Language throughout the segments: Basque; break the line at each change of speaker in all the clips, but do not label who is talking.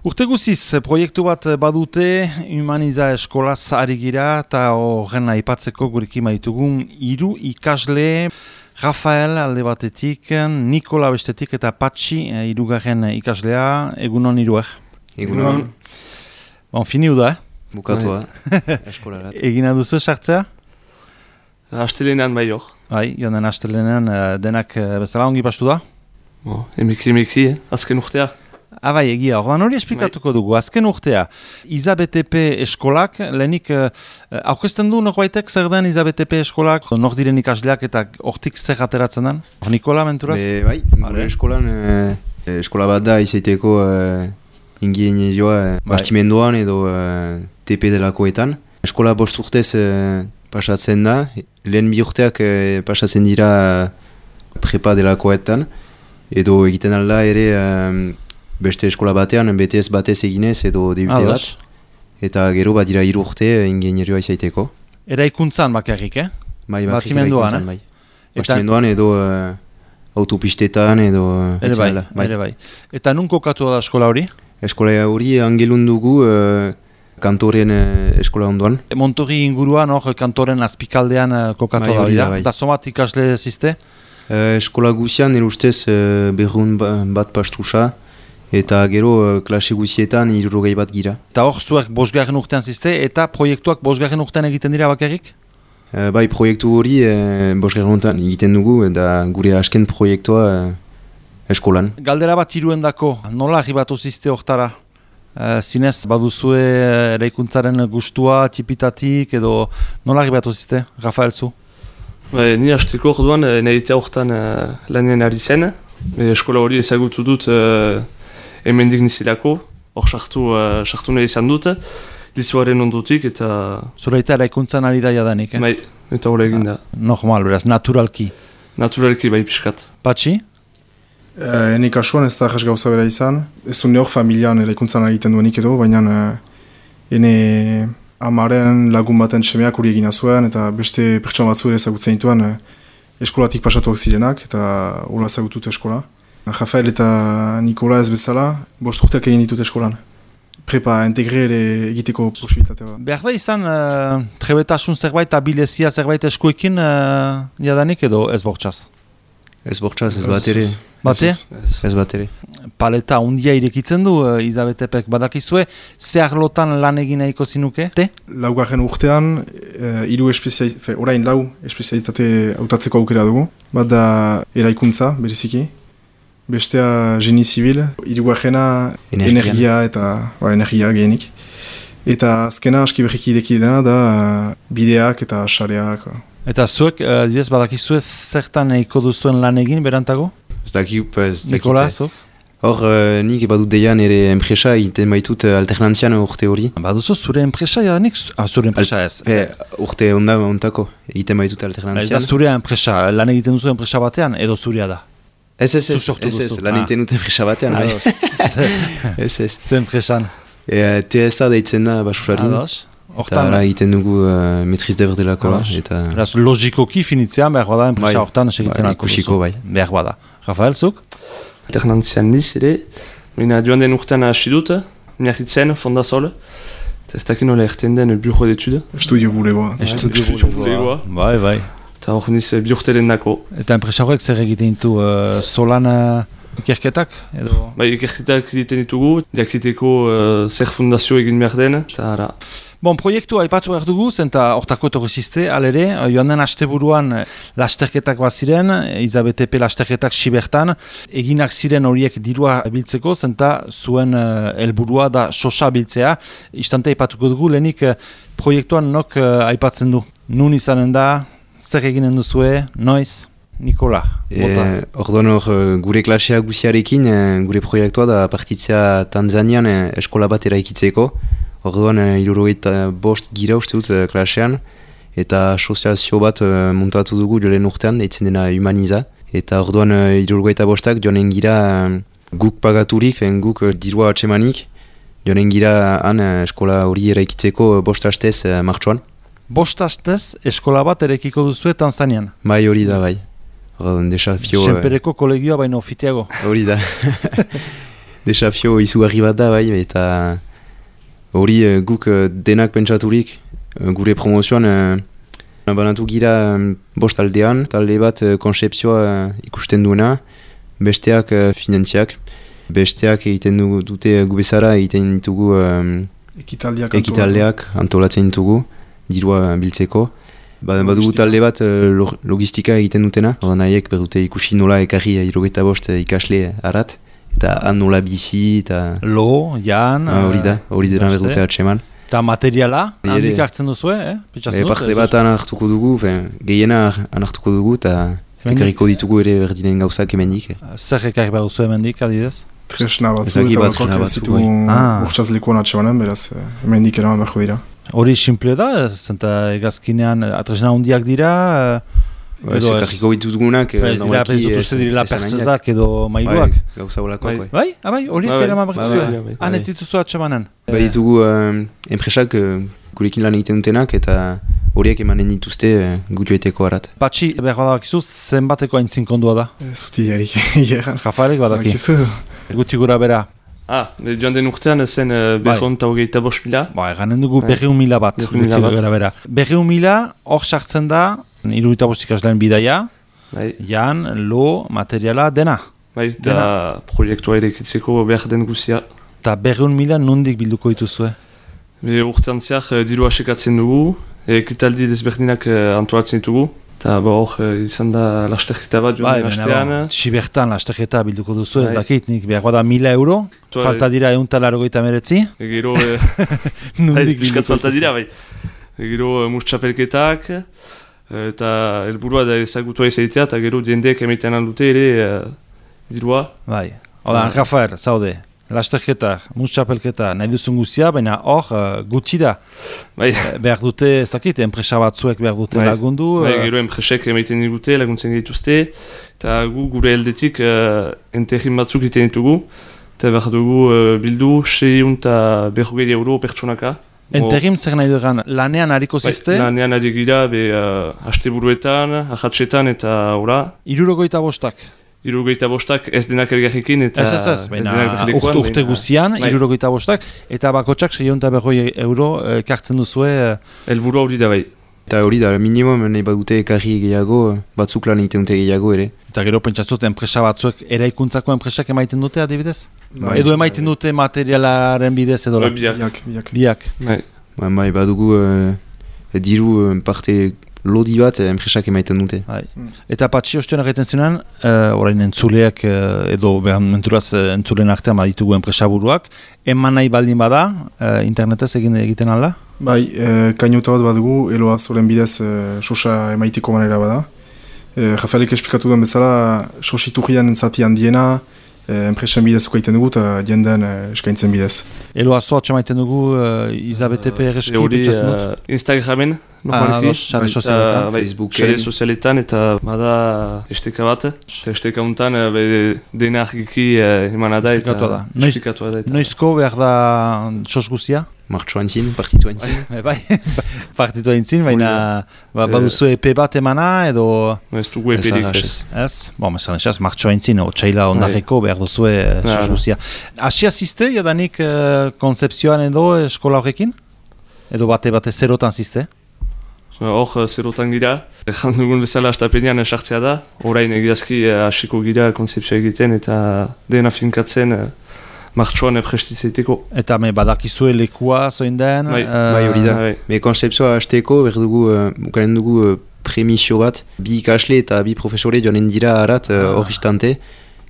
Urte guziz, proiektu bat badute, Humaniza eskolaz ari gira, eta horren aipatzeko gurekin maitugun 3 ikasle, Rafael alde batetik, Nikola bestetik eta Patxi 3. ikaslea, egunon 3.
Egunon.
Bon, finiu da,
Bukatua, eskolarat.
Egina duzu sartzea?
Astelenean bai hor.
Bai, joan den astelenean denak bezala ongi pastu da?
Emeki, azken urtea.
Bai, egia, ordan hori esplikatuko dugu. Azken urtea, IZABTP eskolak, lehenik aurkezten du norbaitek zer den IZABTP eskolak, nor diren ikasleak eta hortik zer ateratzen den? Nikola, menturaz?
Bai, gure eskolan, eskola bat da izaiteko ingeniarioa bastimenduan edo TP delakoetan. Eskola 5 urtez pasatzen da, lehen 2 urteak pasatzen dira prepa delakoetan, edo egiten alda ere beste eskola batean, BTS batez eginez edo DUT bat, eta gero bat dira 3 urte ingenierioa izaiteko.
Eraikuntzan bakarrik,
Bai, eraikuntzan, bai. Bastimenduan edo autopistetan edo...
Ere bai. Eta nun kokatu da eskola hori?
Eskola hori Angelun dugu kantoren eskola ondoan.
Montori inguruan hor kantoren azpikaldean kokatu da hori da. Eta somat ikasle ziste?
Eskola guzian erustez berrun bat pastusa, eta gero klase guzietan 60 bat gira.
Eta hor zuek 5. urtean ziste, eta proiektuak 5. urtean egiten dira bakarrik?
Bai, proiektu hori 5. urtean egiten dugu, eta gure asken proiektua eskolan.
Galdera bat 3endako, nola arribatu ziste hortara? Zinez, baduzue eraikuntzaren gustua, txipitatik, edo nola arribatu ziste, Rafael zu?
Ni hasteko orduan nahitea horretan lanean ari zen. Eskola hori ezagutu dut hemendik nizilako, hor sartu nahi izan dut, lizuaren ondotik eta...
Zuraita eraikuntzan ari da jadanik,
Bai, eta hori egin da.
Normal, beraz, naturalki.
Naturalki bai pixkat.
Patxi?
Ene kasuan ez da jas gauza bera izan. Ez du neok familian eraikuntzan egiten duenik edo, baina ene amaren lagun baten semeak hori egina zuen, eta beste pertsona batzu ere ezagutzen dituen eskolatik pasatuak zirenak, eta hola ezagutut eskola. Rafael eta Nikola ez bezala, 5 urteak egin ditut eskolan. Prepa integre ere egiteko posibilitatea.
Behar da izan, trebetasun zerbait, abilezia zerbait eskuekin jadanik edo ez bortxaz?
Ez bortxaz, ez bat ere.
Bate?
Ez bat ere.
Paleta hundia irekitzen du, IZABTPek badakizue, ze arlotan lan egin nahiko zinuke?
4. urtean, orain 4 espezialitate hautatzeko aukera dugu. Bat da eraikuntza, bereziki. Bestea geni zibil, 3. energia eta energia gehenik. Eta azkena aski berriki ideki dena da bideak eta sareak.
Eta zuek, badakizue zertan nahiko duzuen lan egin berantago?
Ez dakit.
Nikola, zuk?
Hor, nik badut deian ere enpresa egiten baitut alternantzian urte hori.
Baduzu zure enpresa jadanik? Zure enpresa ez?
Urte ondako egiten baitut alternantzian.
Ez da zure enpresa, lan egiten duzu enpresa batean edo zurea da?
Ez, lan egiten dut enpresa batean. Ez.
Ze enpresan?
TSA deitzen da basurarin. Eta ara egiten dugu metriz deber delako.
Logikoki finitzean behar bada enpresa hortan segitzen
ikusiko bai.
Behar bada. Rafael, zuk?
Alternantzian niz ere, joan den urtean hasi dut, miarritzen, fondazol, eta ez dakin nola erten den bureau d'étude.
Estudio bulegoa.
Bai.
Eta hor niz bi urteren dako.
Eta enpresa horrek zer egiten ditu solan ikerketak?
Bai, ikerketak egiten ditugu, diakriteko zer fundazio egin behar den, eta ara.
Bon, proiektu aipatu behar dugu, zenta hortako etorriziste, alere, joan den asteburuan lasterketak bat ziren, IZABTP lasterketak sibertan, eginak ziren horiek dirua biltzeko, zenta zuen helburua da sosa biltzea. Istante aipatuko dugu, lehenik proiektuan nok aipatzen du. Nun izanen da, zer eginen duzue, noiz? Nikola, bota.
Orduan gure klasea guziarekin, gure proiektua da partitzea Tanzanian eskola bat eraikitzeko. Orduan 65 gira uste dut klasean, eta asoziazio bat montatu dugu lehen urtean, deitzen dena Humaniza. Eta orduan 65 joanen gira guk pagaturik, guk dirua atsemanik, joanen gira han eskola hori eraikitzeko 5 hastez martxoan.
5 hastez eskola bat eraikiko duzue Tanzanian?
Bai, hori da, bai. Desafio...
Senpereko kolegioa baino ofiteago.
Hori da. desafio izugarri bat da, bai, eta hori guk denak pentsaturik, gure promozioan banatu gira 5 taldean, talde bat konzepzioa ikusten duena, besteak finantziak, besteak egiten dute gubezara, egiten ditugu ekitaldeak antolatzen ditugu, dirua biltzeko. Badugu talde bat logistika egiten dutena, ordan haiek berdute ikusi nola ekarri 75 ikasle harat, eta han nola bizi, eta...
Lo, jan...
Hori dena berdute atseman.
Eta materiala, handik hartzen duzu,
Parte bat hartuko dugu, gehiena hartuko dugu, eta ekarriko ditugu ere berdinen gauzak emendik.
Zer ekarri behar duzu emendik, adibidez?
Tresna batzu, eta batzuk ez ditu urtsaz lekuan atsemanen, beraz, emendik eraman beharko dira.
Hori simple da, zenta egazkinean atresna hundiak dira...
Ekarriko ditugunak...
Ez direla persezak edo mailuak.
Gauza olakoak,
bai. Bai, horiek eraman behar duzu. Han ez dituzu atsemanen.
Bai ditugu enpresak gurekin lan egiten dutenak eta horiek emanen dituzte gutioeteko harat.
Patxi, behar badakizu, zenbateko haintzin kondua da?
Zuti egan.
Jafarek badaki. Guti gura bera.
Joan den urtean zen 225.000.
Eganen dugu 200.000 bat. 200.000 hor sartzen da, 75 ikasleen bidaia, jan, lo, materiala, dena.
Eta proiektua ere ekitzeko behar den guzia.
Eta 200.000 nondik bilduko dituzue?
Urtean zehar diru asekatzen dugu, ekitaldi desberdinak antolatzen ditugu. Eta hor izan da lasterketa bat joan den hastean.
Sibertan lasterketa bilduko duzu, ez dakit, nik behar da 1.000 euro, falta dira 189.
Gero, piskat falta dira, bai. Gero mustxapelketak, eta helburua da ezagutua izatea, eta gero diendeek emaiten handute ere dirua.
Bai, hola, Rafael, zaude. Lasterketa, mustxapelketa, nahi duzun guzia, baina hor gutxi da. Behar dute, ez dakit, enpresa batzuek behar dute lagundu.
Gero enpresek emaiten digute, laguntzen dituzte, eta gure heldetik enterrin batzuk egiten ditugu, eta behar dugu bildu 640 euro pertsonaka.
Enterrim zer nahi dugan, lanean hariko ziste?
Lanean ari gira, hasteburuetan, ahatsetan eta ora.
75.
75 ez denak elgarrekin eta
ez denak urte guzian, 75 eta bakotsak 640 euro kartzen duzue.
Helburu hori da bai.
Eta hori da, minimum nahi badute ekarri gehiago, batzuk lan egiten dute gehiago ere.
Eta gero pentsatzut enpresa batzuek eraikuntzako enpresak emaiten dute adibidez? Edo emaiten dute materialaren bidez edo?
Biak.
Bai, badugu diru parte lodi bat enpresak emaiten dute.
Eta Patxi ostion egiten zuenan, orain entzuleak edo menturaz entzulen artean baditugu enpresaburuak, eman nahi baldin bada, internetez egiten alda?
Bai, kainota bat badugu, eloa zoren bidez sosa emaiteko manera bada. Rafaelek esplikatu duen bezala, sositurrian zati handiena, enpresen bidezko egiten dugu eta jenden eskaintzen bidez.
Eloa zoa txamaiten dugu Izabete PRSK bitxatzen dut?
Instagramen, normalki.
Facebooken.
Sozialetan eta bada esteka bat. Esteka untan dena argiki emana da eta esplikatu da.
Noizko behar da sos guzia?
Martxoan zin, partitu haintzin.
Bai, partitu haintzin, baina baduzu epe bat emana edo...
Ez dugu eperik ez.
Ez? Bon, mesan esaz, martxoan zin, otxaila ondarreko behar duzue sos guzia. Asia ziste, jadanik konzepzioan edo eskola horrekin? Edo bate zerotan ziste?
Hor zerotan gira. Ejan dugun bezala astapenean sartzea da. Orain egiazki hasiko gira konzepzioa egiten eta dena finkatzen martxoan prestitzeiteko. Eta
badakizue lekua zoin den?
Bai hori da. Konzepzioa hasteko bukanen dugu premisio bat. Bi ikasle eta bi profesore joanen dira harat hor istante.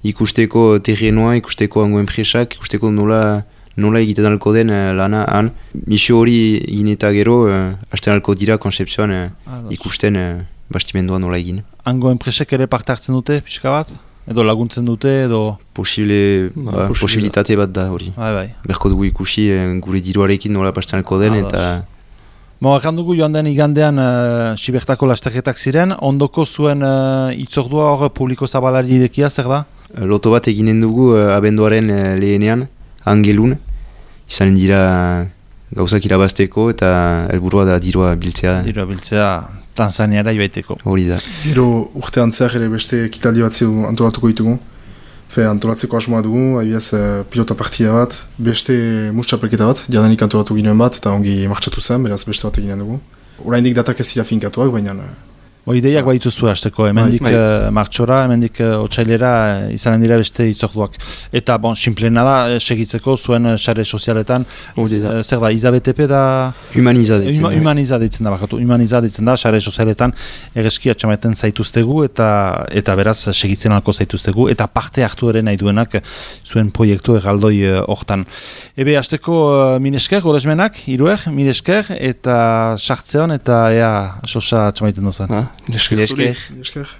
Ikusteko terrenoa, ikusteko hango enpresak, ikusteko nola egiten alko den lana han. Misio hori egin eta gero, hasten alko dira konzeptzioan ikusten bastimendoa nola egin.
Hango enpresek ere parte hartzen dute, pixka bat? Edo laguntzen dute, edo...
Posibilitate bat da hori. Berko dugu ikusi gure diruarekin nola pasten alko den eta...
Erran dugu joan den igandean Sibertako lasterketak ziren, ondoko zuen itzordua hor publiko zabalari idekia, zer da?
Loto bat eginen dugu abenduaren lehenean, Angelun, izan dira gauzak irabazteko eta helburua da dirua biltzea.
Dirua biltzea Tanzaniara joaiteko.
Hori da.
Gero urtean zehar ere beste ekitaldi bat antolatuko ditugu. Antolatzeko asmoa dugu, adibidez pilota partida bat, beste mustxapelketa bat, jadanik antolatu ginen bat, eta ongi martxatu zen, beraz beste bat eginen dugu. Oraindik datak ez dira finkatuak, baina...
Ideiak baituzue hasteko, hemendik martxora, hemendik otsailera izanen dira beste itzorduak. Eta, simplena da, segitzeko zuen sare sozialetan, zer da, IZBTP da...
Humaniza deitzen
da. Humaniza deitzen da, sare sozialetan egeski atxamaten zaituztegu eta beraz segitzen alko zaituztegu eta parte hartu ere nahi duenak zuen proiektu erraldoi hortan. Ebe, hasteko minesker, golesmenak, hiruek, minesker eta sartzeon eta ea sosa atxamaiten duzen.
Minesker.
Minesker.